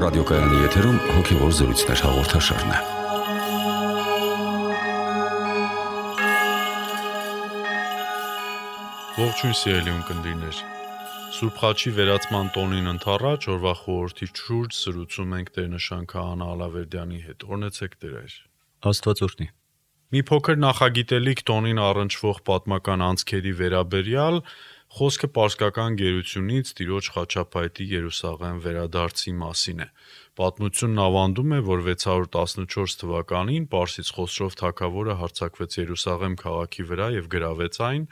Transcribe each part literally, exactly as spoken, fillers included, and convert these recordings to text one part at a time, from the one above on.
Ռադիոկայանի եթերում հոգևոր զրույցներ հաղորդաշարն է։ Ողջույն սիրելի ունկնդիրներ։ Սուրբ Խաչի վերացման տոնին ընդառաջ օրվա խորհրդի շուրջ զրուցում ենք Տեր-նշան Քահանա Ալավերդյանի հետ։ Օրհնեցեք Տեր։ Աստված օրհնի։ Մի փոքր նախագիտելիք տոնին առնչվող պատմական անցքերի վերաբերյալ խոսքը պարսկական գերությունից Տիրոջ խաչապայտի Երուսաղեմ վերադարձի մասին է։ Պատմությունն ավանդում է, որ վեց հարյուր տասնչորս թվականին Պարսից Խոսրով թագավորը հարձակվեց Երուսաղեմ քաղաքի վրա եւ գրավեց այն։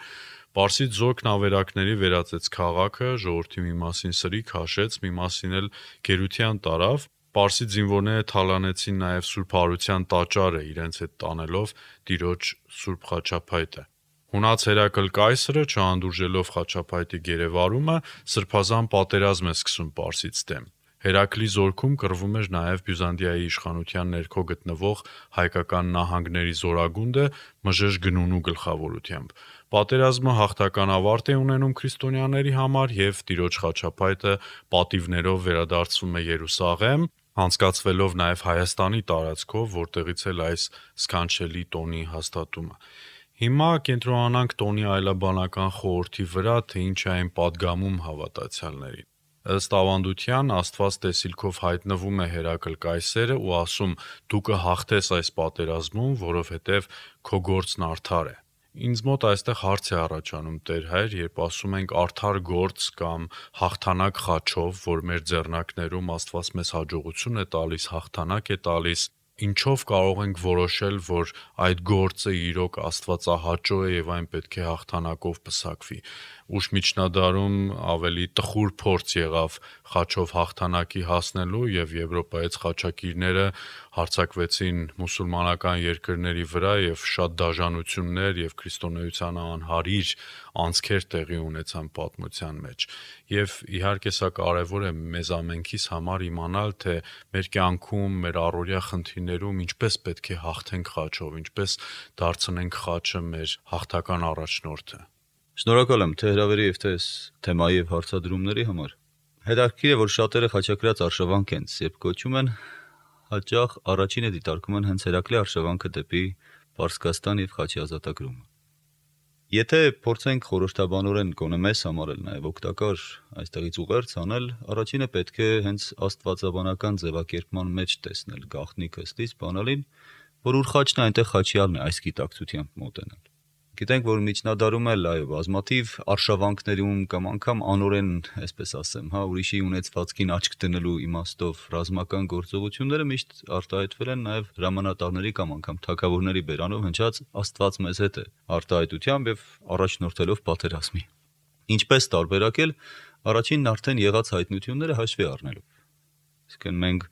Պարսից զորքն ավերակների վերածեց քաղաքը, ժողովրդի մի մասին սրի քաշեց, մի մասին էլ գերության տարավ։ Պարսից զինվորները թալանեցին նաև Սուրբ Հարության տաճարը, իրենց հետ տանելով Տիրոջ Սուրբ խաչապայտը։ Հունաց Հերակլ կայսրը, չհանդուրժելով խաչապայտի գերեվարումը, սրբազան պատերազմ է սկսում Պարսից դեմ։ Հերակլի զորքում կռվում էր նաև Բյուզանդիայի իշխանության ներքո գտնվող հայկական նահանգների զորագունդը Մժեշ Գնունու գլխավորությամբ։ Պատերազմը հաղթական ավարտ է ունենում քրիստոնյաների համար եւ Տիրոջ խաչապայտը պատիվներով վերադարձվում է Երուսաղեմ, անցկացվելով նաև Հայաստանի տարածքով, որտեղից էլ այս սքանչելի տոնի հաստատումը։ Հիմա կենտրոնանանք տոնի այլաբանական խորհրդի վրա, թե ինչ է այն պատգամում հավատացյալներին։ Ըստ ավանդության Աստված տեսիլքով հայտնվում է Հերակլ կայսերը ու ասում՝ դու կհաղթես այս պատերազմում, որովհետև քո գործն արդար է։ Ինձ մոտ այստեղ հարց է առաջանում, Տեր Հայր, երբ ասում ենք արդար գործ կամ հաղթանակ խաչով, որ մեր ձեռնարկներում Աստված մեզ հաջողություն է տալիս, հաղթանակ է տալիս, ինչով կարող ենք որոշել, որ այդ գործը իրոք աստվածահաճո է եւ այն պետք է հաղթանակով պսակվի։ Ուշ միջնադարում ավելի տխուր փորձ եղավ խաչով հաղթանակի հասնելու եւ Եվրոպայից խաչակիրները հարձակվեցին մուսուլմանական երկրների վրա եւ շատ դաժանություններ եւ քրիստոնեությանը անհարիր անցքեր տեղի ունեցան պատմության մեջ։ Եվ իհարկե սա կարևոր է մեզ ամենքիս համար իմանալ, թե մեր կյանքում, մեր առօրյա խնդիրներում ինչպես պետք է հաղթենք խաչով, ինչպես դարձնենք խաչը մեր հաղթական առաջնորդը։ Շնորհակալ եմ թե հրավերի եւ թե թեմայի եւ հարցադրումների համար։ Հետաքրքիր է, որ շատերը խաչակրած արշավանք են, երբ կոչում են, հաճախ առաջինը դիտարկում են հենց Հերակլի արշավանքը դեպի Պարսկաստան եւ խաչի ազատագրումը։ Եթե փորձենք խորհրդաբանորեն գոնե մեզ համար էլ նաեւ օգտակար այստեղից ուղերձ անել, առաջինը պետք է հենց աստվածաբանական ձևակերպման մեջ տեսնել գաղտնիքը ստից բանալին, որ ուր խաչն է, այնտեղ խաչյալն է, այս գիտակցությամբ մոտենալ։ Գիտենք, որ միջնադարում էլ այո, բազմաթիվ արշավանքներում կամ անգամ անորեն, այսպես ասեմ, հա, ուրիշի ունեցվածքին աչք դնելու իմաստով ռազմական գործողությունները միշտ արտահայտվել են նաև հրամանատարների կամ անգամ թագավորների բերանով հնչած Աստված մեզ հետ է արտահայտությամբ եւ առաջնորդելով պատերազմի։ Ինչպես տարբերակել առաջինն արդեն եղած հայտնությունները հաշվի առնելով։ Իսկն մենք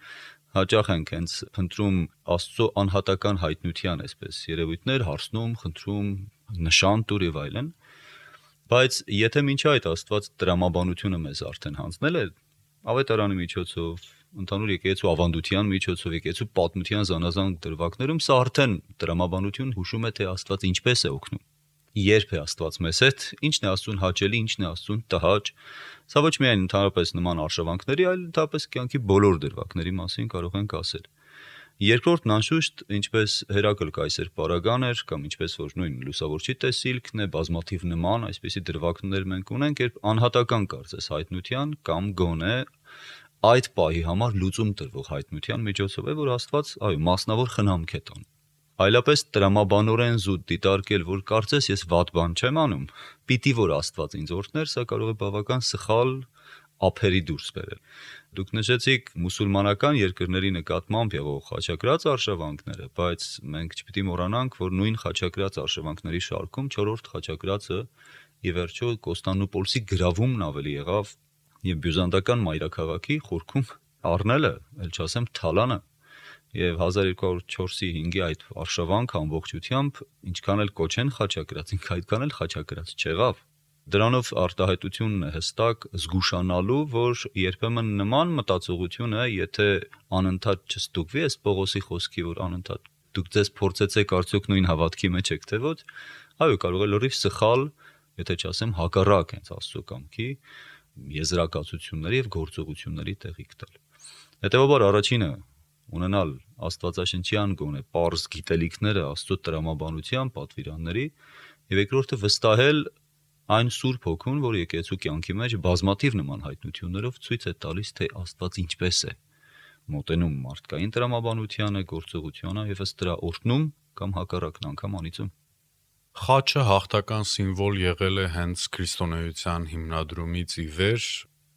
հաճախ ենք հենց փնտրում Աստծո անհատական հայտնության այսպես երևույթներ, հարցնում, խնդրում, նշան տուր եւ այլն, բայց եթե մինչ այդ Աստված դրամաբանությունը մեզ արդեն հանձնել է ավետարանի միջոցով, ընդհանուր եկեղեցու ավանդության միջոցով, եկեղեցու պատմության զանազան դրվագներում, սա արդեն դրամաբանություն հուշում է, թե Աստված ինչպես է օգնում, երբ է Աստված մեզ հետ, ինչն է Աստծուն հաճելի, ինչն է Աստծուն տհաճ։ Սա ոչ միայն ընդհանրապես նման արշավանքների, այլ ընդհանրապես կյանքի բոլոր դրվագների մասին կարող ենք ասել։ Երկրորդն անշուշտ, ինչպես Հերակլ կայսեր պարագան էր, կամ ինչպես որ նույն լուսավորչի տեսիլքն է, բազմաթիվ նման այսպիսի դրվագներ մենք ունենք, երբ անհատական կարծես հայտնության կամ գոնե այդ պահի համար լուծում տրվող հայտնության միջոցով է, որ Աստված, այո, մասնավոր խնամք է տանում։ Այլապես տրամաբանորեն զուտ դիտարկել, որ կարծես ես վատ բան չեմ անում, պիտի որ Աստված ինձ օրհներ, սա կարող է բավական սխալ ափերի դուրս բերել։ Դուք նշեցիք մուսուլմանական երկրների նկատմամբ եղող խաչակրած արշավանքները, բայց մենք չպիտի մոռանանք, որ նույն խաչակրած արշավանքների շարքում չորրորդ խաչակրածը ի վերջո Կոստանդնուպոլսի գրավումն ավելի եղավ եւ բյուզանդական մայրաքաղաքի խորքում առնելը, ել չասեմ թալանը, եւ հազար երկու հարյուր չորսի հինգի այդ արշավանքը ամբողջությամբ ինչքան էլ կոչեն խաչակրած, ինքը այդքան էլ խաչակրած չեղավ։ Դրանով արտահայտությունն է հստակ զգուշանալու, որ երբեմն նման մտածողությունը, եթե անընդհատ չստուգվի, այս Պողոսի խոսքի, որ անընդհատ դուք ձեզ փորձեցեք արդյոք նույն հավատքի մեջ եք թե ոչ, այո, կարող է լրիվ սխալ, եթե չասեմ հակառակ հենց Աստծո կամքի եզրակացությունների եւ գործողությունների տեղիք տալ։ Հետևաբար առաջինը ունենալ Աստվածաշնչյան գոնե պարզ գիտելիքները Աստծո տրամաբանության պատվիրանների, եւ երկրորդը վստահել այն Սուրբ Հոգուն, որ եկեղեցու կյանքի մեջ բազմաթիվ նման հայտնություններով ցույց է տալիս, թե Աստված ինչպես է մոտենում մարդկային տրամաբանությանը, գործողությանը եւ ըստ դրա օրհնում կամ հակառակն անգամ անիծում։ Խաչը հաղթական սիմվոլ եղել է հենց քրիստոնեության հիմնադրումից ի վեր,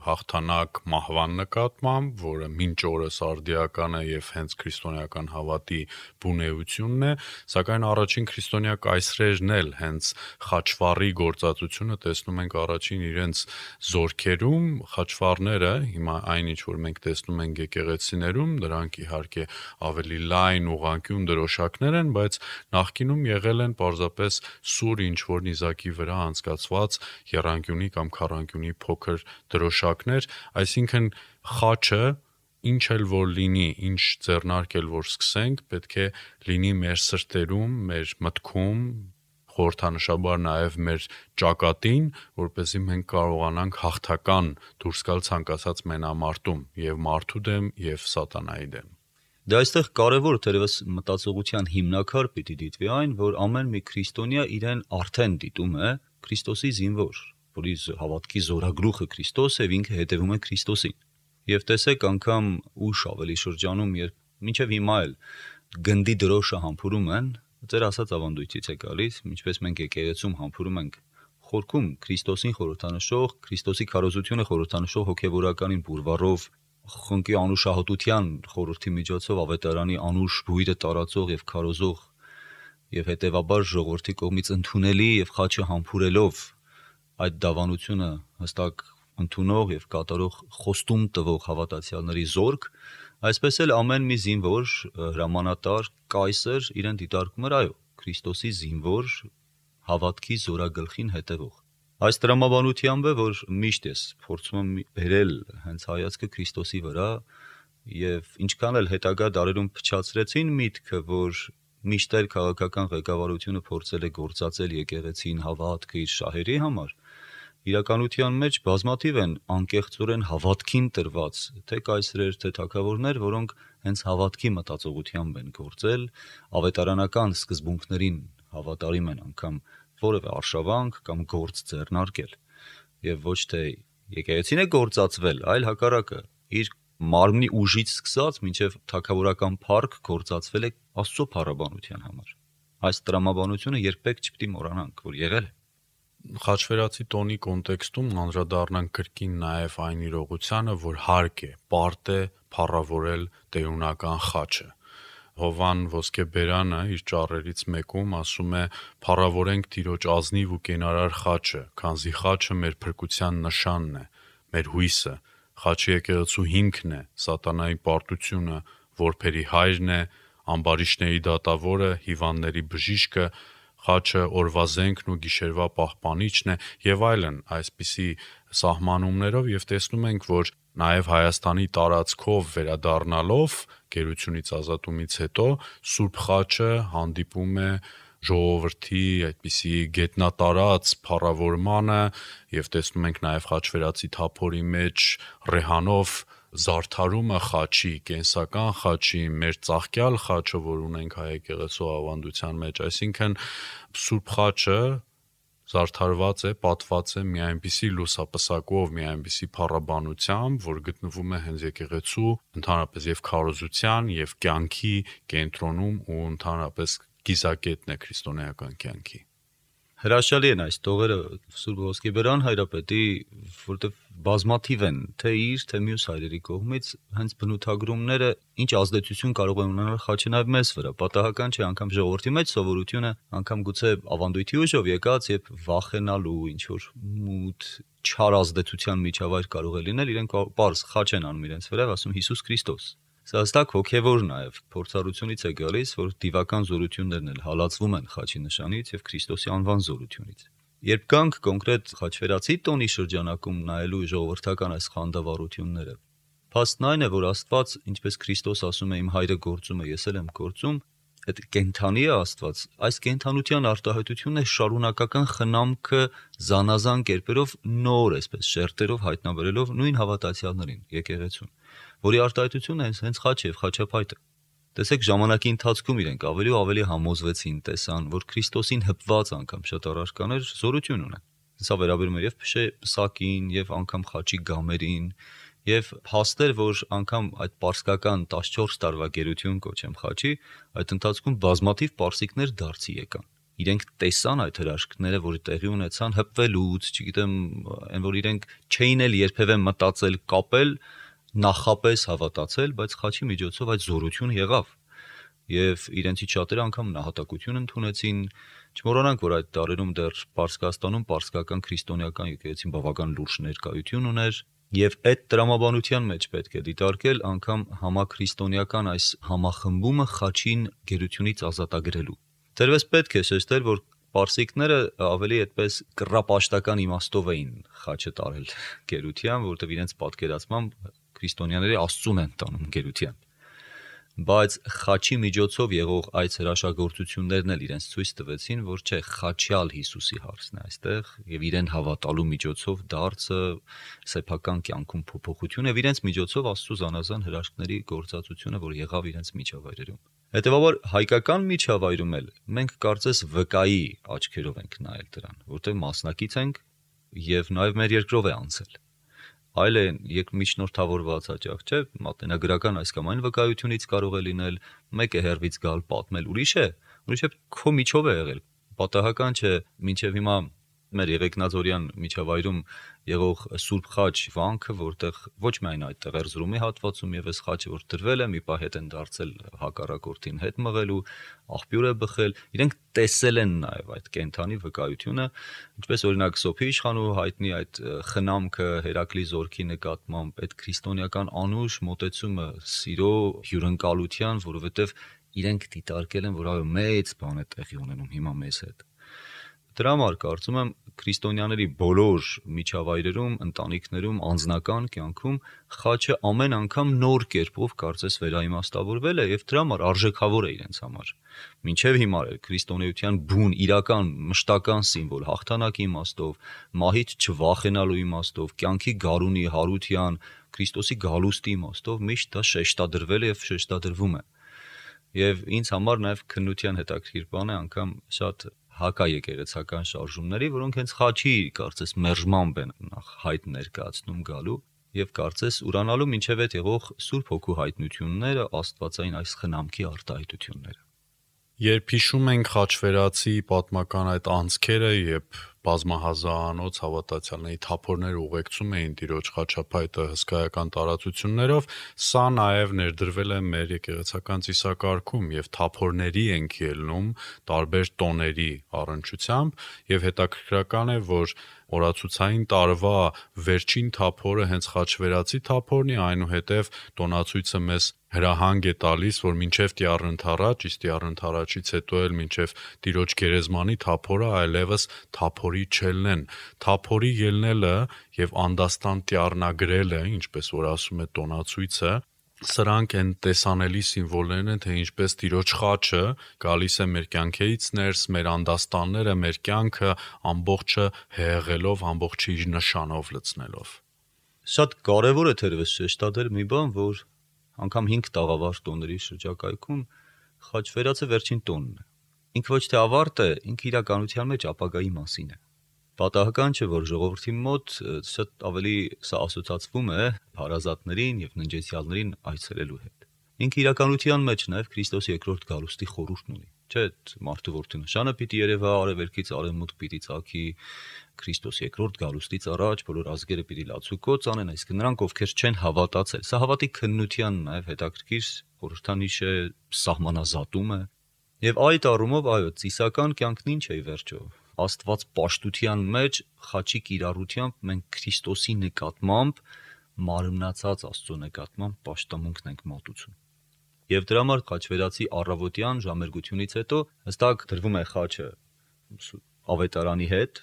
հաղթանակ մահվան նկատմամբ, որը մինչ օրս արդիական է եւ հենց քրիստոնեական հավատի բունեությունն է, սակայն առաջին քրիստոնյա կայսրերն էլ հենց խաչվառի գործածությունը տեսնում ենք առաջին իրենց զորքերում, խաչվառները, հիմա այնինչ որ մենք տեսնում ենք եկեղեցիներում, դրանք իհարկե ավելի լայն ուղղանկյուն դրոշակներ են, բայց նախկինում եղել են պարզապես սուր ինչ որ նիզակի վրա անցկացված եռանկյունի կամ քառանկյունի փոքր դրոշակ, այսինքն խաչը ինչ էլ որ լինի, ինչ ձեռնարկ էլ որ սկսենք, պետք է լինի մեր սրտերում, մեր մտքում, խորհրդանշաբար նաև մեր ճակատին, որպեսզի մենք կարողանանք հաղթական դուրս գալ ցանկացած մենամարտում եւ մարդու դեմ եւ սատանայի դեմ։ Դա այստեղ կարևոր թերևս մտածողության հիմնակար պիտի դիտվի այն, որ ամեն մի քրիստոնյա իրեն արդեն դիտում է Քրիստոսի զինվոր, որի հավատքի զորագլուխը Քրիստոս է, ինքը հետևում է Քրիստոսին։ Եվ տեսեք անգամ ուշ ավելի շրջանում, երբ մինչև հիմա էլ գնդի դրոշը համբուրում են, ձեր ասած ավանդույթից է գալիս, ինչպես մենք եկեղեցում համբուրում ենք խորքում Քրիստոսին խորհրդանշող, Քրիստոսի քարոզությունը խորհրդանշող հոգևորականին բուրվարով, խնկի անուշահոտության խորհրդի միջոցով ավետարանի անուշ բույրը տարածող եւ քարոզող եւ հետեւաբար ժողովրդի կողմից ընդունելի եւ խաչը համբուրելով այդ դավանությունը հստակ ընդունող եւ կատարող խոստում տվող հավատացյալների զորք, այսպես էլ ամեն մի զինվոր, հրամանատար, կայսր իրեն դիտարկում էր, այո, Քրիստոսի զինվոր, հավատքի զորագլխին հետևող։ Այս տրամաբանությամբ է, որ միշտ ես փորձում եմ բերել հենց հայացքը Քրիստոսի վրա եւ ինչքան էլ հետագա դարերում փչացրեցին միտքը, որ միշտ էլ քաղաքական ղեկավարությունը փորձել է գործածել եկեղեցին հավատքը իր շահերի համար, իրականության մեջ բազմաթիվ են անկեղծորեն հավատքին տրված թե կայսրեր, թե թագավորներ, որոնք հենց հավատքի մտածողությամբ են գործել, ավետարանական սկզբունքներին հավատարիմ են անգամ որևէ արշավանք կամ գործ ձեռնարկել, եւ ոչ թե եկեղեցին է գործածվել, այլ հակառակը, իր մարմնի ուժից սկսած մինչև թագավորական փառք գործածվել է Աստծո փառաբանության համար։ Այս տրամաբանությունը երբեք չպիտի մոռանանք, որ եղել է։ Խաչվերացի տոնի կոնտեքստում անդրադառնանք կրկին նաև այն իրողությանը, որ հարկ է, պարտ է փառավորել տերունական խաչը։ Հովան Ոսկեբերանը իր ճառերից մեկում ասում է. «Փառավորենք Տիրոջ ազնիվ ու կենարար խաչը, քանզի խաչը մեր փրկության նշանն է, մեր հույսը, խաչը եկեղեցու հիմքն է, սատանայի պարտությունը, որբերի հայրն է, ամբարիշտների դատավորը, հիվանդների բժիշկը, խաչը օրվա զենքն ու գիշերվա պահպանիչն է եւ այլն», այսպիսի սահմանումներով եւ տեսնում ենք, որ նաեւ Հայաստանի տարածքով վերադառնալով գերությունից ազատումից հետո Սուրբ խաչը հանդիպում է ժողովրդի այդպիսի գետնատարած փառավորմանը եւ տեսնում ենք նաեւ խաչվերացի թափորի մեջ ռեհանով զարդարումը խաչի, կենսական խաչի, մեր ծաղկյալ խաչը, որ ունենք հայ եկեղեցու ավանդության մեջ, այսինքն Սուրբ խաչը զարդարված է, պատված է մի այնպիսի լուսապսակով, մի այնպիսի փառաբանությամբ, որ գտնվում է հենց եկեղեցու ընդհանրապես եւ քարոզության եւ կյանքի կենտրոնում ու ընդհանրապես կիզակետն է քրիստոնեական կյանքի։ Հրաշալի են այս տողերը Սուրբ Ոսկեբերան հայրապետի, որտեղ բազմաթիվ են թե իր, թե մյուս հայրերի կողմից հենց բնութագրումները ինչ ազդեցություն կարող է ունենալ խաչը նաև մեզ վրա։ Պատահական չէ, անգամ ժողովրդի մեջ սովորությունը, անգամ գուցե ավանդույթի ուժով եկած, երբ վախենալու ինչ որ մութ չար ազդեցության միջավայր կարող է լինել, իրենք պարզ խաչ են անում իրենց վրա, ասում Հիսուս Քրիստոս։ Սա հստակ հոգևոր նաև փորձառությունից է գալիս, որ դիվական զորություններն էլ հալածվում են խաչի նշանից եւ Քրիստոսի անվան զորությունից։ Երբ կանք կոնկրետ խաչվերացի տոնի շրջանակում նայելու ժողովրդական այս խանդավառությունները, փաստն այն է, որ Աստված, ինչպես Քրիստոս ասում է, իմ հայրը գործում է, ես էլ եմ գործում, այդ կենթանի է Աստված, այս կենթանության արտահայտությունն է շարունակական խնամքը զանազան կերպերով նոր, այսպես շերտերով հայտնաբերելով նույն հավատացյալներին, եկեղեցուն, որի արտահայտությունն է հենց խաչ եւ խաչապայտը։ Տեսեք, ժամանակի ընթացքում իրենք ավելի ու ավելի համոզվեցին, տեսան, որ Քրիստոսին հպված անգամ շատ առարկաներ զորություն ունեն։ Սա վերաբերում է եւ փշակին, եւ անգամ խաչի գամերին, եւ փաստեր, որ անգամ այդ պարսկական տասնչորս տարվա գերություն կոչեմ խաչի, այդ ընթացքում բազմաթիվ պարսիկներ դարձի եկան։ Իրենք տեսան այդ հրաշքները, որ տեղի ունեցան հպվելուց, չգիտեմ, այն որ իրենք չէին էլ երբևէ մտածել կապել, նախապես հավատացել, բայց խաչի միջոցով այդ զորությունը եղավ։ Եվ իրենցից շատերը անգամ նահատակություն ընդունեցին, չմոռանանք, որ այդ տարերում դեռ Պարսկաստանում պարսկական քրիստոնեական եկեղեցին բավական լուրջ ներկայություն ուներ, եւ այդ տրամաբանության մեջ պետք է դիտարկել անգամ համաքրիստոնեական այս համախմբումը խաչին գերությունից ազատագրելու։ Դերևս պետք է շեշտել, որ պարսիկները ավելի այդպես կռապաշտական իմաստով էին խաչը տարել գերության, որովհետեւ իրենց պատկերացմամբ քրիստոնյաները Աստծուն են տանում գերության։ Բայց խաչի միջոցով եղող այս հրաշագործություններն էլ իրենց ցույց տվեցին, որ չէ, խաչյալ Հիսուսի հարցն է այստեղ եւ իրեն հավատալու միջոցով դարձը սեփական կյանքում փոփոխություն եւ իրենց միջոցով Աստծո զանազան հրաշքների գործածությունը, որ եղավ իրենց միջավայրերում։ Հետևաբար հայկական միջավայրում էլ մենք կարծես վկայի աչքերով ենք նայել դրան, որտեղ մասնակից ենք եւ նաեւ մեր երկրով է անցել։ Այլ է երկմիջնորդավորված հաճախ, չէ՞, մատենագրական այս կամ այն վկայությունից կարող է լինել, մեկը հերվից գալ պատմել, ուրիշ է, ուրիշ է քո միջով է եղել։ Պատահական չէ, մինչև հիմա մեր Եղեգնաձորյան միջավայրում եղող Սուրբ խաչ վանքը, որտեղ ոչ միայն այդտեղ Էրզրումի հատվածում եւս խաչը որ դրվել է, մի պահ հետ են դարձել հակառակորդին հետ մղելու, աղբյուր է բխել, իրենք տեսել են նաեւ այդ կենթանի վկայությունը, ինչպես օրինակ Սոփի իշխանու հայտնի այդ խնամքը Հերակլի զորքի նկատմամբ, այդ քրիստոնեական անուշ մոտեցումը սիրո հյուրընկալության, որովհետեւ իրենք դիտարկել են, որ այո մեծ բան է տեղի ունենում հիմա մեզ հետ։ Դրա համար կարծում եմ քրիստոնյաների բոլոր միջավայրերում, ընտանիքներում, անձնական կյանքում խաչը ամեն անգամ նոր կերպով կարծես վերաիմաստավորվել է եւ դրա համար արժեքավոր է իրենց համար։ Մինչեւ հիմա էլ քրիստոնեության բուն, իրական, մշտական սիմվոլ, հաղթանակի իմաստով, մահից չվախենալու իմաստով, կյանքի գարունի, հարության, Քրիստոսի գալուստի իմաստով միշտ դա շեշտադրվել է եւ շեշտադրվում է։ Եվ ինձ համար նաեւ քննության հետաքրքիր բան է անգամ շատ հակաեկեղեցական շարժումների, որոնք հենց խաչի կարծես մերժմամբ են նախ հայտ ներկայացնում գալու եւ կարծես ուրանալու մինչեւ այդ եղող Սուրբ Հոգու հայտնությունները, Աստվածային այս խնամքի արտահայտությունները։ Երբ հիշում ենք խաչվերացի պատմական այդ անցքերը, երբ բազմահազարանոց հավատացյալների թափորներ ուղեկցում էին Տիրոջ խաչապայտը հսկայական տարածություններով, սա նաև ներդրվել է մեր եկեղեցական ծիսակարգում եւ թափորների ենք ելնում տարբեր տոների առնչությամբ եւ հետաքրքրական է, որ օրացուցային տարվա վերջին թափորը հենց խաչվերացի թափորն է, այնուհետև տոնացույցը մեզ հրահանգ է տալիս, որ մինչև Տիառընթառաջ, իսկ Տիառընթառաջից հետո էլ մինչև Տիրոջ գերեզմանի թափորը այլևս թափորի չելնեն։ Թափորի ելնելը եւ անդաստան տիառնագրելը, ինչպես որ ասում է տոնացույցը, սրանք են տեսանելի սիմվոլներն են, թե ինչպես Տիրոջ խաչը գալիս է մեր կյանքից ներս, մեր անդաստանները, մեր կյանքը ամբողջը հեղեղելով, ամբողջը իր նշանով լցնելով։ Շատ կարևոր է թերևս շեշտադրել մի բան, որ անգամ հինգ տաղավար տոների շրջակայքում խաչվերացը վերջին տոնն է։ Ինքը ոչ թե ավարտ է, ինքը իրականության մեջ ապագայի մասին է։ Պատահական չէ, որ ժողովրդի մոտ շատ ավելի սա ասոցացվում է հարազատներին եւ ննջեցյալներին այցելելու հետ։ Ինքը իրականության մեջ նաեւ Քրիստոսի երկրորդ գալուստի խորհուրդն ունի։ Չէ, մարդու որդի նշանը պիտի երևա, արևելքից արևմուտք պիտի ծագի, Քրիստոսի երկրորդ գալուստից առաջ բոլոր ազգերը պիտի լացուկոծ անեն, այսինքն նրանք, ովքեր չեն հավատացել։ Սա հավատի քննության նաեւ հետաքրքիր խորհրդանիշ է, սահմանազատում է։ Եվ այդ առումով, այո, ծիսական կյանքն ինչ է ի վերջո։ Աստված պաշտության մեջ խաչի կիրառությամբ մենք Քրիստոսի նկատմամբ մարմնացած Աստծո նկատմամբ պաշտամունքն ենք մատուցում։ Եվ դրա համար խաչվերացի առավոտյան ժամերգությունից հետո հստակ դրվում է խաչը ավետարանի հետ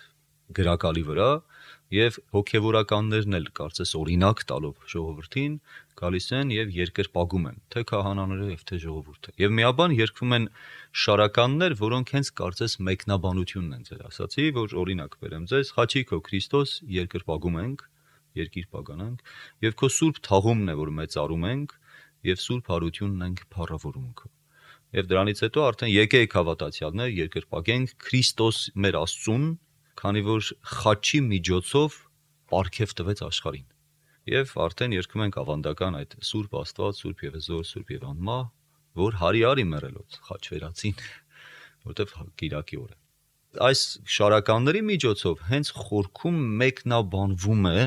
գրակալի վրա, Եվ հոգևորականներն էլ կարծես օրինակ տալով ժողովրդին գալիս են եւ երկրպագում են թե քահանաները եւ թե ժողովուրդը։ Եվ միաբան երգվում են շարականներ, որոնք հենց կարծես մեկնաբանությունն են ձեր ասացի, որ օրինակ բերեմ ձեզ, խաչիկո Քրիստոս երկրպագում ենք, երկիր պագանանք, եւ քո սուրբ թաղումն է, որ մեծարում ենք, եւ սուրբ հարությունն ենք փառավորում քո։ Եվ դրանից հետո արդեն եկեք հավատացյալներ, երկրպագենք Քրիստոս մեր Աստծուն, քանի որ խաչի միջոցով պարգև տվեց աշխարհին։ Եվ արդեն երգում ենք ավանդական այդ Սուրբ Աստված, Սուրբ Եվեզոր, Սուրբ եւ անմա, որ հարի արի մեռելոց խաչ վերածին, որտեվ Կիրակի օր է։ Այս շարականների միջոցով հենց խորքում մեկնաբանվում է,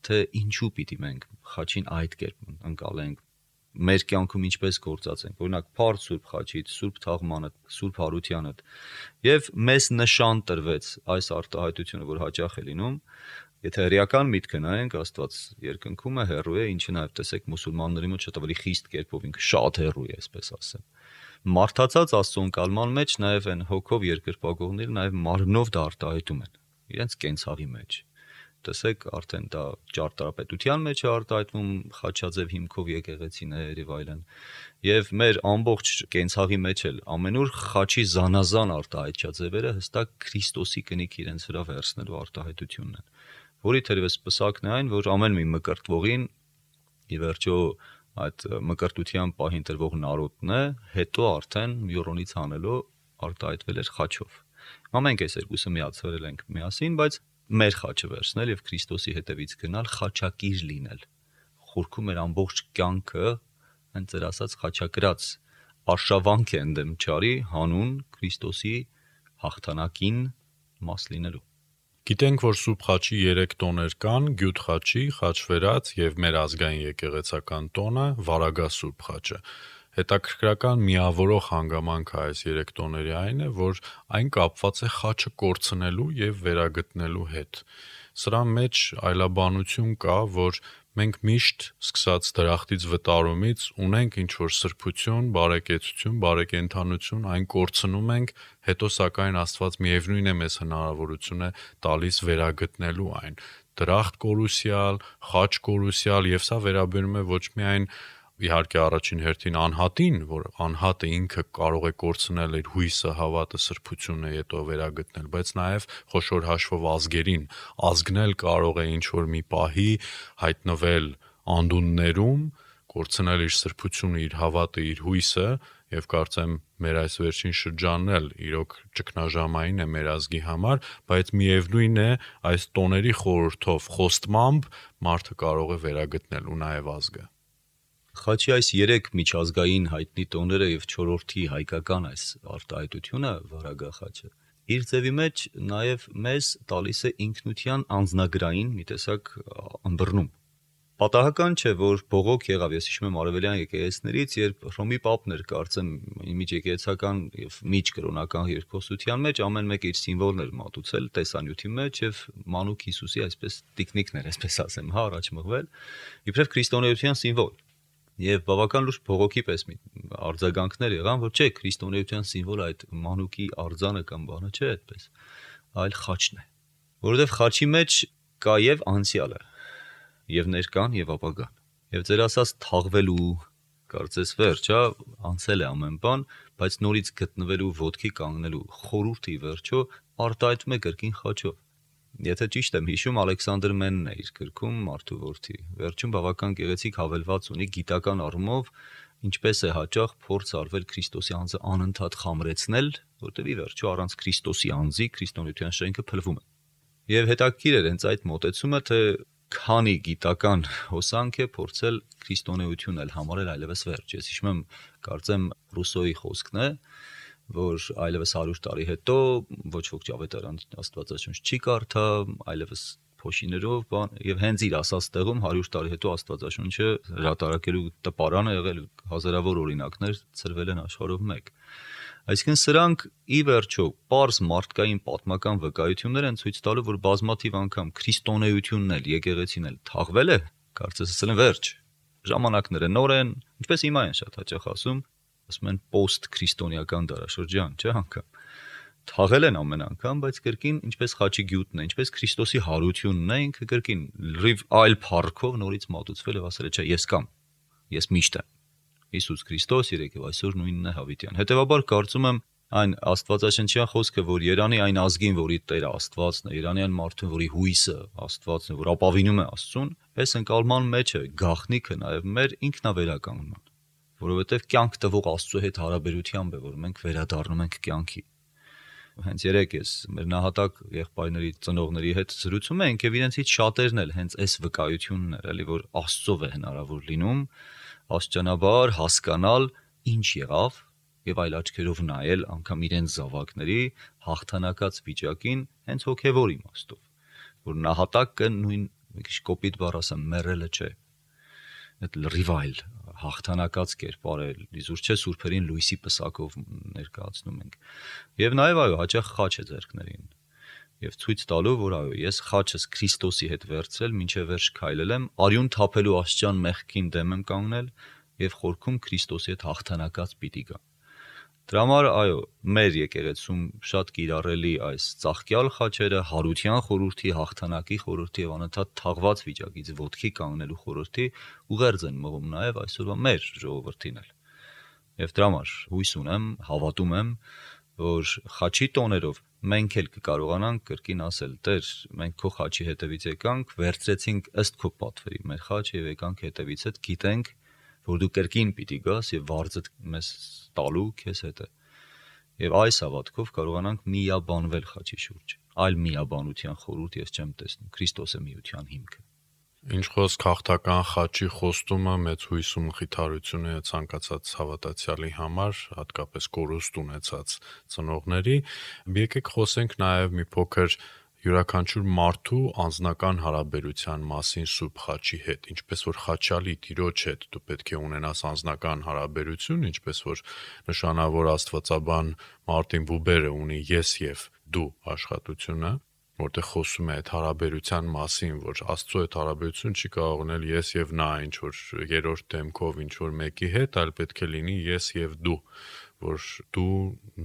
թե ինչու պիտի մենք խաչին այդ կերպ ընկալենք, մեր կյանքում ինչպես գործածենք, օրինակ Փառ Սուրբ Խաչից, Սուրբ Թաղմանը, Սուրբ Հարությանը, եւ մեզ նշան տրվեց այս արտահայտությունը, որ հաճախ է լինում, եթե հրեական միտքը նայենք, Աստված երկնքում է, հեռու է, ինչը նաեւ տեսեք մուսուլմանների մոտ շատ ավելի խիստ կերպով ինքը շատ հեռու է, այսպես ասեմ։ Մարդածած Աստծո ընկալման մեջ նաեւ են հոգով երկրպագողները նաեւ մարմնով դա արտահայտում են, իրենց կենցաղի մեջ։ Տեսեք, արդեն դա ճարտարապետության մեջ է արտահայտվում, խաչաձև հիմքով եկեղեցիներ եւ այլն։ Եվ մեր ամբողջ կենցաղի մեջ էլ ամենուր խաչի զանազան արտահայտչաձևերը հստակ Քրիստոսի կնիք իրենց վրա վերցնելու արտահայտությունն են, որի թերևս պսակն է այն, որ ամեն մի մկրտվողին ի վերջո այդ մկրտության պահին տրվող նարոտն է, հետո արդեն յորոնից հանելով արտահայտվել էր խաչով։ Մենք այս երկուսը միացրել ենք միասին, բայց մեր խաչը վերցնել եւ Քրիստոսի հետևից գնալ, խաչակիր լինել։ Խորքում մեր ամբողջ կյանքը հենց դեր ասած խաչակրած արշավանք է ընդդեմ չարի հանուն Քրիստոսի հաղթանակին մաս լինելու։ Գիտենք, որ Սուրբ Խաչի երեք տոներ կան՝ Գյուտ խաչի, խաչվերած եւ մեր ազգային եկեղեցական տոնը՝ Վարագա Սուրբ Խաչը։ Հետաքրքրական միավորող հանգամանքը այս երեք տոների այն է, որ այն կապված է խաչը կորցնելու եւ վերագտնելու հետ։ Սրա մեջ այլաբանություն կա, որ մենք միշտ սկսած դրախտից վտարումից ունենք ինչ-որ սրբություն, բարեկեցություն, բարեկենդանություն, այն կորցնում ենք, հետո սակայն Աստված միևնույն է մեզ հնարավորություն է տալիս վերագտնելու այն։ Դրախտ կորուսյալ, խաչ կորուսյալ, եւ սա վերաբերում է ոչ միայն իհարկե առաջին հերթին անհատին, որ անհատը ինքը կարող է կորցնել իր հույսը, հավատը, սրբությունը, հետո վերագտնել, բայց նաև խոշոր հաշվով ազգերին, ազգն էլ կարող է ինչ-որ մի պահի հայտնվել անդուններում, կորցնել իր սրբությունը, իր հավատը, իր հույսը, եւ կարծեմ մեր այս վերջին շրջանն էլ իրոք ճգնաժամային է մեր ազգի համար, բայց միևնույն է այս տոների խորհրդով, խոստմամբ մարդը կարող է վերագտնել ու նաև ազգը։ Խաչի այս երեք միջազգային հայտնի տոները եւ չորրորդի հայկական այս արտահայտությունը Վարագա խաչը իր ձևի մեջ նաեւ մեզ տալիս է ինքնության անձնագրային մի տեսակ ըմբռնում։ Պատահական չէ, որ բողոք եղավ, ես հիշում եմ արևելյան եկեղեցիներից, երբ Հռոմի պապն էր, կարծեմ, միջեկեղեցական եւ միջկրոնական երկխոսության մեջ ամեն մեկ իր սիմվոլներ մատուցել տեսանյութի մեջ եւ մանուկ Հիսուսի այսպես տիկնիկներ, այսպես ասեմ, հա, առաջ մղվել, իբրև քրիստոնեության սիմվոլ։ Եվ բավական լուրջ բողոքի պես մի արձագանքներ եղան, որ չէ, քրիստոնեության սիմվոլը այդ մանուկի արձանը կամ բանը չէ այդպես, այլ խաչն է, որովհետեւ խաչի մեջ կա եւ անցյալը, եւ ներկան եւ ապագան։ Եվ ձեր ասած թաղվելու, կարծես վերջ, հա, անցել է ամեն բան, բայց նորից գտնվելու, ոտքի կանգնելու խորհուրդի վերջո արտահայտվում է կրկին խաչով։ Եթե ճիշտ եմ հիշում, Ալեքսանդր Մենն է իր գրքում Մարդու որդի։ Վերջում բավական գեղեցիկ հավելված ունի գիտական առումով, ինչպես է հաճախ փորձ արվել Քրիստոսի անձը անընդհատ խամրեցնել, որտեղ ի վերջո առանց Քրիստոսի անձի քրիստոնեության շենքը փլվում է։ Եվ հետաքրքիր է հենց այդ մոտեցումը, թե քանի գիտական հոսանք է փորձել քրիստոնեությունն էլ համարել այլևս վերջ։ Ես հիշում եմ, կարծեմ Ռուսոյի խոսքն է, որ այլևս հարյուր տարի հետո ոչ ոք ճավետարան Աստվածաշունչ չի կարդա, այլևս փոշիներով, բան, եւ հենց իր ասած տեղում հարյուր տարի հետո Աստվածաշունչը հրատարակելու տպարան է եղել, հազարավոր օրինակներ ծրվել են աշխարհով մեկ։ Այսինքն սրանք ի վերջո պարզ մարդկային պատմական վկայություններ են ցույց տալու, որ բազմաթիվ անգամ քրիստոնեությունն էլ, եկեղեցին էլ թաղվել է, կարծես ասել են վերջ։ Ժամանակները նոր են, ինչպես հիմա են շատ հաճախ ասում, ասում են post քրիստոնեական դարաշրջան, չէ՞ անգամ։ թաղել են ամեն անգամ, բայց կրկին ինչպես խաչի գյուտն է, ինչպես Քրիստոսի հարությունն է, ինքը կրկին լրիվ այլ փառքով նորից մատուցվել եւ ասել է, չէ, ես կամ, ես միշտ եմ։ Հիսուս Քրիստոս երեք եւ այսօր նույնն է հավիտյան։ Հետեւաբար կարծում եմ այն աստվածաշնչյան խոսքը, որ Երանի այն ազգին, որի Տերը Աստվածն է, Երանի այն մարդուն, որի հույսը Աստվածն է, որ ապավինում է Աստծուն, այս ընկալման մեջ է գաղտնիքը նաեւ մեր ինքնավերականգնման, որովհետեւ կյանք տվող Աստծո հետ հարաբերությամբ է, որ մենք վերադառնում ենք կյանքի։ Հենց երեք ես մեր նահատակ եղբայրների ծնողների հետ զրուցում ենք եւ իրենցից շատերն էլ հենց այս վկայությունն էր, էլի որ Աստծով է հնարավոր լինում աստիճանաբար հասկանալ ինչ եղավ եւ այլ աչքերով նայել անգամ իրենց զավակների հաղթանակած վիճակին հենց հոգեվոր իմաստով, որ նահատակը նույն մի քիչ կոպիտ բառ ասեմ մեռելը չէ, այդ լրիվայլ հաղթանակած կերպարել, իզուր չէ սուրբերին լույսի պսակով ներկայացնում ենք։ Եվ նաև այո, հաճախ խաչ է ձեռքներին։ Եվ ցույց տալու, որ այո, ես խաչս Քրիստոսի հետ վերցրել, մինչև վերջ քայլել եմ, արյուն թափելու աստիճան մեղքին դեմ եմ կանգնել եւ խորքում Քրիստոսի հետ հաղթանակած պիտի գա։ Դրա համար այո, մեր եկեղեցում շատ կիրառելի այս ծաղկյալ խաչերը հարության խորհրդի, հաղթանակի խորհրդի եւ անընդհատ թաղված վիճակից ոտքի կանգնելու խորհրդի ուղերձ են մղում նաեւ այսօրվա մեր ժողովրդին էլ։ Եվ դրա համար հույս ունեմ, հավատում եմ, որ խաչի տոներով մենք էլ կկարողանանք կրկին ասել. Տեր, մենք քո խաչի հետևից եկանք, վերցրեցինք ըստ քո պատվերի մեր խաչը եւ եկանք հետևիցդ, գիտենք, որ դու կրկին պիտի գաս եւ վարձդ մեզ տալու քեզ հետ է։ Եվ այս հավատքով կարողանանք միաբանվել խաչի շուրջ։ Այլ միաբանության խորհուրդ ես չեմ տեսնում։ Քրիստոս է միության հիմքը։ Ինչ խոսք հաղթական խաչի խոստումը մեծ հույս ու մխիթարություն է ցանկացած հավատացյալի համար, հատկապես կորուստ ունեցած ծնողների։ Եկեք խոսենք նաև մի փոքր յուրաքանչյուր մարդու անձնական հարաբերության մասին Սուրբ խաչի հետ, ինչպես որ խաչալի Տիրոջ հետ դու պետք է ունենաս անձնական հարաբերություն, ինչպես որ նշանավոր աստվածաբան Մարտին Բուբերը ունի ես եւ դու աշխատությունը, որտեղ խոսում է այդ հարաբերության մասին, որ Աստծո այդ հարաբերություն չի կարող ունել ես եւ նա, ինչ որ երրորդ դեմքով ինչ որ մեկի հետ, այլ պետք է լինի ես եւ դու, որ դու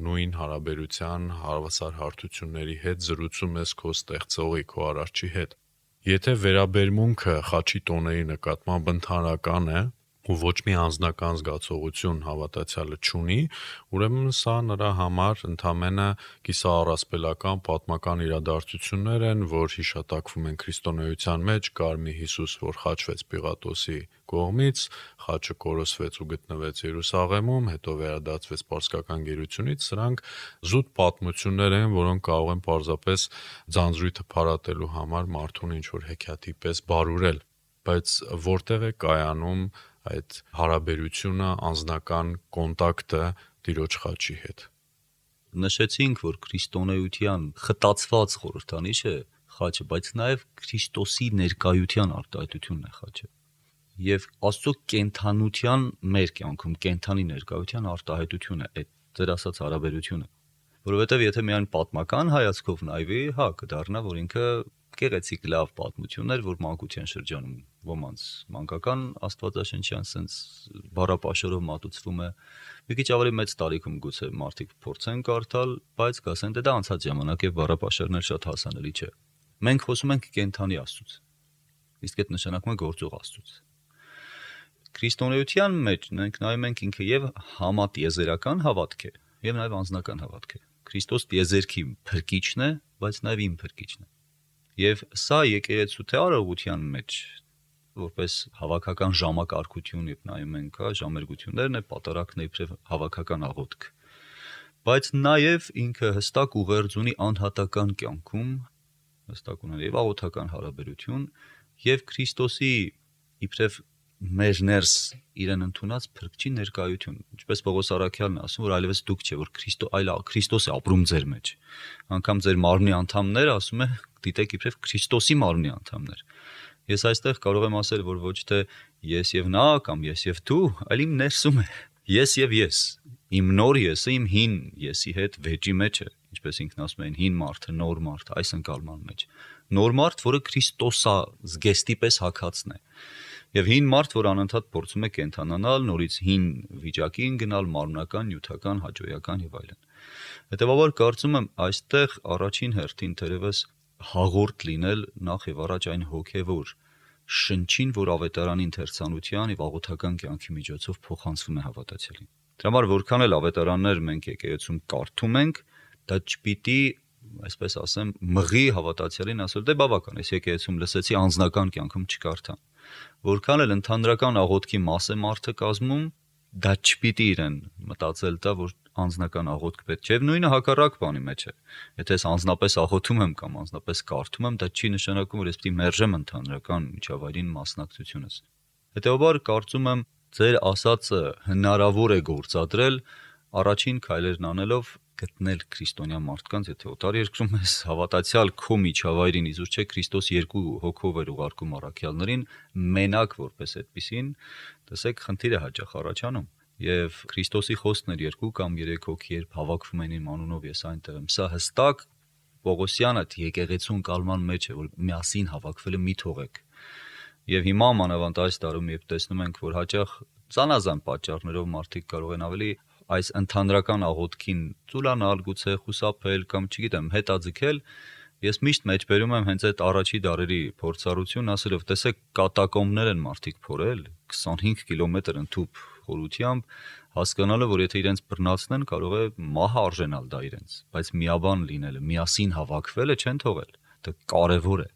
նույն հարաբերության հավասար հարթությունների հետ զրուցում ես քո ստեղծողի, քո արարչի հետ։ Եթե վերաբերմունքը խաչի տոների նկատմամբ ընդհանրական է ու ոչ մի անձնական զգացողություն հավատացյալը չունի, ուրեմն սա նրա համար ընդամենը կիսաառասպելական պատմական իրադարձություններ են, որ հիշատակվում են քրիստոնեության մեջ, կար մի Հիսուս, որ խաչվեց Պիղատոսի կողմից, խաչը կորսվեց ու գտնվեց Երուսաղեմում, հետո վերադարձվեց պարսկական գերությունից, սրանք զուտ պատմություններ են, որոնք կարող են պարզապես ձանձրույթը փարատելու համար մարդուն ինչ-որ հեքիաթի պես բարուրել, բայց որտեղ է կայանում այդ հարաբերությունը, անձնական կոնտակտը Տիրոջ խաչի հետ։ Նշեցինք, որ քրիստոնեության խտացված խորհրդանիշ է խաչը, բայց նաև Քրիստոսի ներկայության արտահայտությունն է խաչը։ Եվ Աստծո կենթանության մեր կյանքում կենթանի ներկայության արտահայտություն է այդ ձեր ասած հարաբերությունը։ Որովհետև եթե միայն պատմական հայացքով նայվի, հա, կդառնա, որ ինքը գեղեցիկ լավ պատմություններ, որ մանկության շրջանում ոմանց մանկական աստվածաշնչյան sense բառապաշարով մատուցվում է, մի քիչ ավելի մեծ տարիքում գուցե մարդիկ փորձեն կարդալ, բայց կասեն դե դա անցած ժամանակ է, բառապաշարներ շատ հասանելի չէ։ Մենք խոսում ենք կենթանի Աստծուց, իսկ այդ նշանակում է գործող Աստծուց։ Քրիստոնեության մեջ մենք նայում ենք ինքը եւ համատիեզերական հավատք է, եւ նաեւ անձնական հավատք է։ Քրիստոս տիեզերքի փրկիչն է, բայց նաեւ իմ փրկիչն է։ Եվ սա եկեղեցու թե արարողության մեջ որպես հավաքական ժամակարգություն եւ նայում ենք, հա, ժամերգություններն է, պատարակն է իբրև հավաքական աղոթք։ Բայց նաեւ ինքը հստակ ուղերձ ունի անհատական կյանքում, հստակ ունի եւ աղոթական հարաբերություն եւ Քրիստոսի իբրև մեր ներս իրեն ընդունած փրկչի ներկայություն, ինչպես Պողոս Առաքյալն է ասում, որ այլևս դուք չէ, որ Քրիստո այլ Քրիստոս է ապրում ձեր մեջ։ Անկամ ձեր մարմնի անդամները, ասում է, դիտեք իբրև Քրիստոսի մարմնի անդամներ։ Ես այստեղ կարող եմ ասել, որ ոչ թե ես եւ նա կամ ես եւ դու, այլ իմ ներսում է։ Ես եւ ես, իմ նոր եսը իմ հին եսի հետ վեճի մեջ է, ինչպես ինքն ասում է, հին մարդը, նոր մարդը, այս ընկալման մեջ։ Նոր մարդ, որը Քրիստոսա զգեստի պես հագածն է։ Եվ հին մարդ, որ անընդհատ փորձում է կենթանանալ, նորից հին վիճակին գնալ, մարմնական, նյութական, հաճոյական եւ այլն։ Հետևաբար կարծում եմ այստեղ առաջին հերթին թերևս հաղորդ լինել նախ եւ առաջ այն հոգեվոր շնչին, որ ավետարանի ընթերցանության եւ աղոթական կյանքի միջոցով փոխանցվում է հավատացյալին։ Դրա համար որքան էլ ավետարաններ մենք եկեղեցում կարդում ենք, դա չպիտի, այսպես ասեմ, մղի հավատացյալին ասել, դե բավական, այս եկեղեցում լսեցի, անձնական կյանքում չկարդամ։ Որքան էլ ընդհանրական աղոթքի մաս է մարդը կազմում, դա չպիտի իրեն մտածել տա, որ անձնական աղոթք պետք չէ, եւ նույնը հակառակ բանի մեջ է։ Եթե ես անձնապես աղոթում եմ կամ անձնապես կարդում եմ, դա չի նշանակում, որ ես պիտի մերժեմ ընդհանրական միջավայրին մասնակցությունս։ Հետևաբար կարծում եմ, ձեր ասածը հնարավոր է գործադրել առաջին քայլերն անելով գտնել քրիստոնյա մարդկանց, եթե օտար երկրում ես հավատացյալ քո միջավայրին, իզուր չէ Քրիստոս երկու հոգով էր ուղարկում առաքյալներին, մենակ որպես այդպիսին, տեսեք, խնդիր է հաճախ առաջանում։ Եվ Քրիստոսի խոսքն էր երկու կամ երեք հոգի երբ հավաքվում են իմ անունով ես այնտեղ եմ։ Սա հստակ Պողոսյանը եկեղեցուն կալման մեջ է, որ միասին հավաքվելը մի թողեք։ Եվ հիմա մանավանդ այս տարում երբ տեսնում ենք, որ հաճախ զանազան պատճառներով մարդիկ կարող են ավելի այս ընդհանրական աղոթքին ծուլանալ, գուցե խուսափել կամ չգիտեմ, հետաձգել, ես միշտ մեջբերում եմ հենց այդ առաջի դարերի փորձառություն, ասելով, տեսեք, կատակոմբներ են մարդիկ փորել, քսանհինգ կիլոմետր ընդհուպ խորությամբ, հասկանալը, որ եթե իրենց բռնացնեն, կարող է մահը արժենալ դա իրենց, բայց միաբան լինելը, միասին հավաքվելը չեն թողել, դա կարևոր է։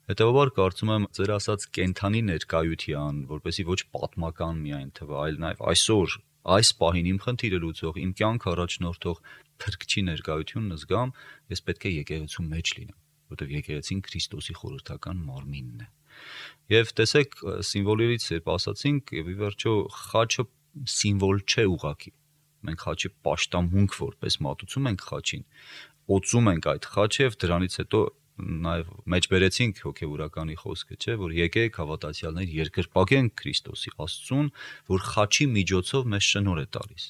Հետևաբար կարծում եմ ձեր ասած կենթանի ներկայության, որպեսզի ոչ պատմական միայն թվա, այլ նաև այսօր այս պահին իմ խնդիրը լուծող, իմ կյանք առաջնորդող փրկչի ներկայությունն զգամ, ես պետք է եկեղեցու մեջ լինեմ, որտեղ եկեղեցին Քրիստոսի խորհրդական մարմինն է։ Եվ տեսեք, սիմվոլներից երբ ասացինք, եւ ի վերջո խաչը սիմվոլ չէ ուղակի։ Մենք խաչի պաշտամունք որպես մատուցում ենք խաչին, օծում ենք այդ խաչը եւ դրանից հետո նաև մեջբերեցինք հոգեվորականի խոսքը, չէ, որ եկեք հավատացյալներ երկրպագենք Քրիստոսի Աստծուն, որ խաչի միջոցով մեզ շնորհ է տալիս։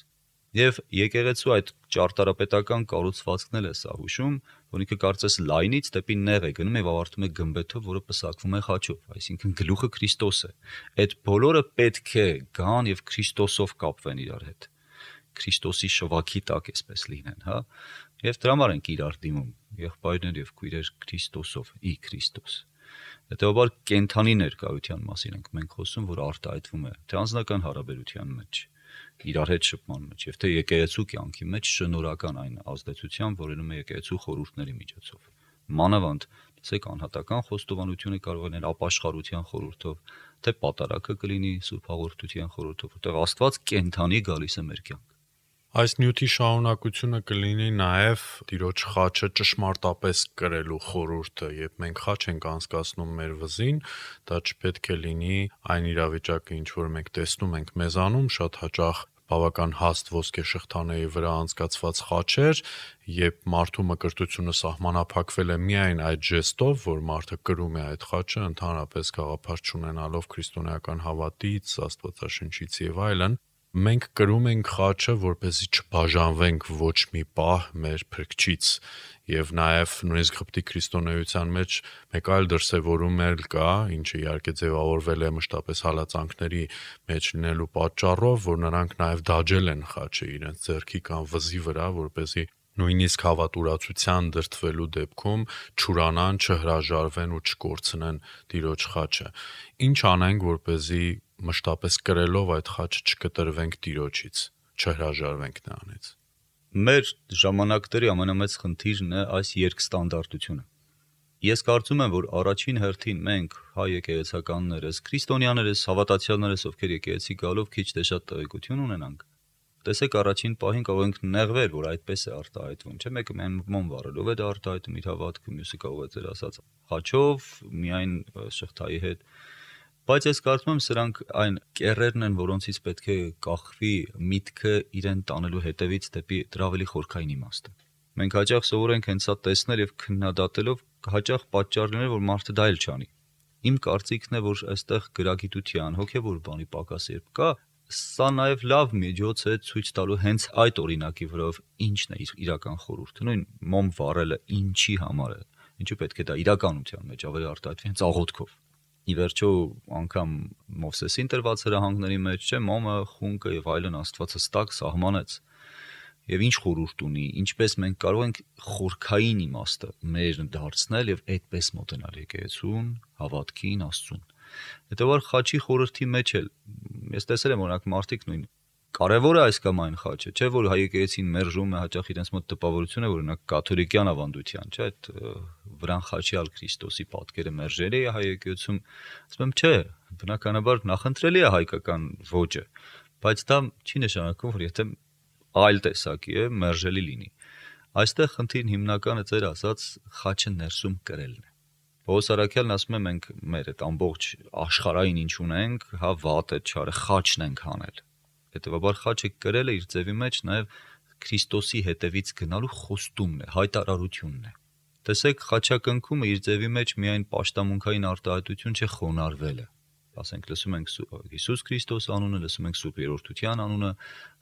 Եվ եկեղեցու այդ ճարտարապետական կառուցվածքն էլ է սա հուշում, որ ինքը կարծես լայնից դեպի նեղ է գնում եւ ավարտում է գմբեթով, որը պսակվում է խաչով, այսինքն գլուխը Քրիստոս է։ Այդ բոլորը պետք է գան եւ Քրիստոսով կապվեն իրար հետ։ Քրիստոսի շվաքի տակ էսպես լինեն, հա։ Եվ դրա համար ենք իրար դիմում, եղբայրներ եւ քույրեր Քրիստոսով, ի Քրիստոս։ Հետևաբար կենթանի ներկայության մասին ենք մենք խոսում, որ արտահայտվում է թե անձնական հարաբերության մեջ, իրար հետ շփման մեջ, եւ թե եկեղեցու կյանքի մեջ շնորհական այն ազդեցությամբ, որ ելնում է եկեղեցու խորհուրդների միջոցով։ Մանավանդ, տեսեք, անհատական խոստովանությունը կարող է լինել ապաշխարության խորհուրդով, թե պատարակը կլինի սուրբ հաղորդության խորհուրդով, որտեղ Աստված կենթանի գալիս է մեր կյանք։ Այս նյութի շարունակությունը կլինի նաև Տիրոջ խաչը ճշմարտապես կրելու խորհուրդը, երբ մենք խաչ ենք անցկացնում մեր վզին, դա չպետք է լինի այն իրավիճակը, ինչ որ մենք տեսնում ենք մեզանում, շատ հաճախ բավական հաստ ոսկե շղթաների վրա անցկացված խաչեր, երբ մարդու մկրտությունը սահմանափակվել է միայն այդ ժեստով, որ մարդը կրում է այդ խաչը, ընդհանրապես գաղափար չունենալով քրիստոնեական հավատից, Աստվածաշնչից եւ այլն, մենք կրում ենք խաչը, որպեսզի չբաժանվենք ոչ մի պահ մեր փրկչից, եւ նաեւ նույնիսկ Ղպտի քրիստոնեության մեջ մեկ այլ դրսևորում էլ կա, ինչը իհարկե ձևավորվել է մշտապես հալածանքների մեջ լինելու պատճառով, որ նրանք նաեւ դաջել են խաչը իրենց ձեռքի կամ վզի վրա, որպեսզի նույնիսկ հավատուրացության դրդվելու դեպքում չուրանան, չհրաժարվեն ու չկորցնեն Տիրոջ խաչը։ Ինչ անենք, որպեսզի մշտապես կրելով այդ խաչը չկտրվենք Տիրոջից, չհրաժարվենք նրանից։ Մեր ժամանակների ամենամեծ խնդիրն է այս երկստանդարտությունը։ Ես կարծում եմ, որ առաջին հերթին մենք հայ եկեղեցականներս, քրիստոնյաներս, հավատացյալներս, ովքեր եկեղեցի գալով քիչ թե շատ տեղեկություն ունենանք, տեսեք, առաջին պահին կարող ենք նեղվել, որ այդպես է արտահայտվում, չէ՞, մեկը միայն մոմ վառելով է դա արտահայտում իր հավատքը, մյուսը կարող է ձեր ասած խաչով, միայն շղթայի հետ։ Բայց ես կարծում եմ, սրանք այն կեռերն են, որոնցից պետք է կախվի միտքը իրեն տանելու հետևից դեպի դրա ավելի խորքային իմաստը։ Մենք հաճախ սովոր ենք հենց սա տեսնել եւ քննադատելով հաճախ պատճառ լինել, որ մարդը դա էլ չանի։ Իմ կարծիքն է, որ այստեղ գրագիտության, հոգեվոր բանի պակաս երբ կա, սա նաեւ լավ միջոց է ցույց տալու հենց այդ օրինակի վրայով ինչն է իր իրական խորհուրդը։ Նույն մոմ վառելը ինչի համար է, ինչու պետք է դա իրականության մեջ ավելի արտահայտվի հենց աղոթքով։ Ի վերջո անգամ Մովսեսին տրված հրահանգների մեջ չէ մոմը, խունկը եւ այլն Աստված հստակ սահմանեց։ եւ ինչ խորհուրդ ունի, ինչպես մենք կարող ենք խորքային իմաստը մեր դարձնել եւ այդպես մոտենալ եկեղեցուն, հավատքին, Աստծուն։ Հետեւաբար խաչի խորհրդի մեջ էլ ես տեսել եմ օրինակ մարդիկ նույն կարևոր է այս կամ այն խաչը, չէ՞ որ հայ եկեղեցին մերժում է հաճախ իրենց մոտ տպավորություն է, որ օրինակ կաթոլիկյան ավանդության, չէ՞, այդ վրան խաչյալ Քրիստոսի պատկերը մերժելի է հայ եկեղեցում, ասում եմ, չէ, բնականաբար նախընտրելի է հայկական ոճը, բայց դա չի նշանակում, որ եթե այլ տեսակի է, մերժելի լինի։ Այստեղ խնդիրն հիմնականը ձեր ասած խաչը ներսում կրելն է։ Պողոս Արաքյալն ասում է մենք մեր այդ ամբողջ աշխարհային ինչ ունենք, հա վատը, չարը, խաչն ենք հանել։ Հետևաբար խաչը կրելը իր ձևի մեջ նաև Քրիստոսի հետևից գնալու խոստումն է, հայտարարությունն է։ Տեսեք, խաչակնքումը իր ձևի մեջ միայն պաշտամունքային արտահայտություն չէ խոնարհվելը։ Ասենք լսում ենք Հիսուս Քրիստոս անունը, լսում ենք Սուրբ Երրորդության անունը,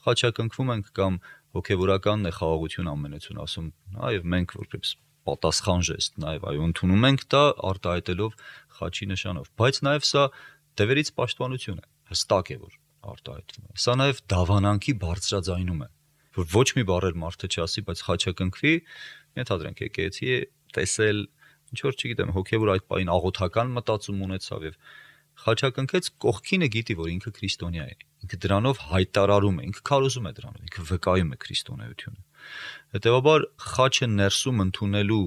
խաչակնքվում ենք կամ հոգևորականն է խաղաղություն ամենեցուն ասում, այո, մենք որպես պատասխան ժեստ, նաև այո, ընդունում ենք դա արտահայտելով խաչի նշանով, բայց նաև սա դևերից պաշտպանություն է, հստակ է որ արտահայտվում է։ Սա նաև դավանանքի բարձրաձայնում է, որ ոչ մի բառ էլ մարդը չասի, բայց խաչակնքվի, ենթադրենք եկեղեցի է տեսել, ինչ որ չգիտեմ, հոգևոր այդ պահին աղոթական մտածում ունեցավ եւ խաչակնքեց կողքինը գիտի, որ ինքը քրիստոնյա է։ Ինքը դրանով հայտարարում է, ինքը քարոզում է դրանով, ինքը վկայում է քրիստոնեությունը։ Հետևաբար խաչը ներսում ընդունելու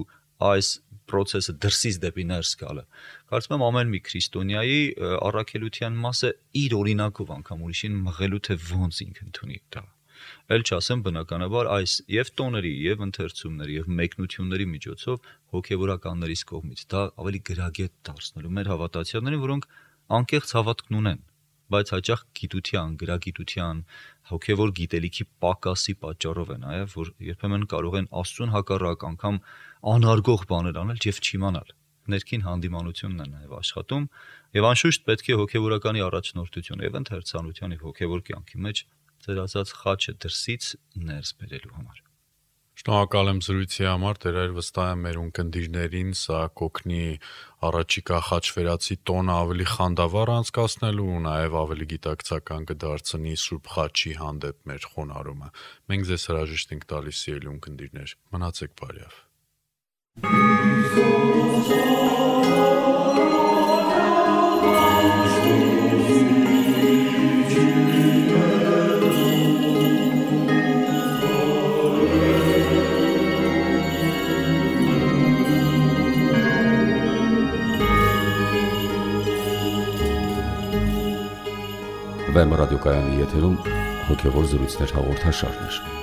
այս process-ը դրսից դեպի ներս գալը։ Կարծում եմ ամեն մի քրիստոնյայի առաքելության մասը իր օրինակով անգամ ուրիշին մղելու թե ոնց ինքը ընդունի դա։ Էլ չասեմ բնականաբար այս եւ տոների եւ ընթերցումների եւ մեկնությունների միջոցով հոգեվորականներից կողմից դա ավելի գրագետ դարձնելու մեր հավատացյալներին, որոնք անկեղծ հավատքն ունեն, բայց հաճախ գիտության, գրագիտության, հոգևոր գիտելիքի պակասի պատճառով է նաեւ, որ երբեմն կարող են Աստծուն հակառակ անգամ անարգող բաներ անել եւ չիմանալ։ Ներքին հանդիմանությունն է նաեւ աշխատում եւ անշուշտ պետք է հոգևորականի առաջնորդություն եւ ընթերցանության եւ հոգևոր կյանքի մեջ ձեր ասած խաչը դրսից ներս բերելու համար։ Շնորհակալ եմ զրույցի համար, Տեր վստահ եմ մեր ունկնդիրներին սա կօգնի առաջիկա խաչվերացի տոնը ավելի խանդավառ անցկացնելու ու նաև ավելի գիտակցական կդարձնի Սուրբ խաչի հանդեպ մեր խոնարհումը։ Մենք ձեզ հրաժեշտ ենք տալիս սիրելի ունկնդիրներ, մնացեք բարյավ։ Վեմ ռադիոկայանի եթերում հոգևոր զրույցներ հաղորդաշարներ։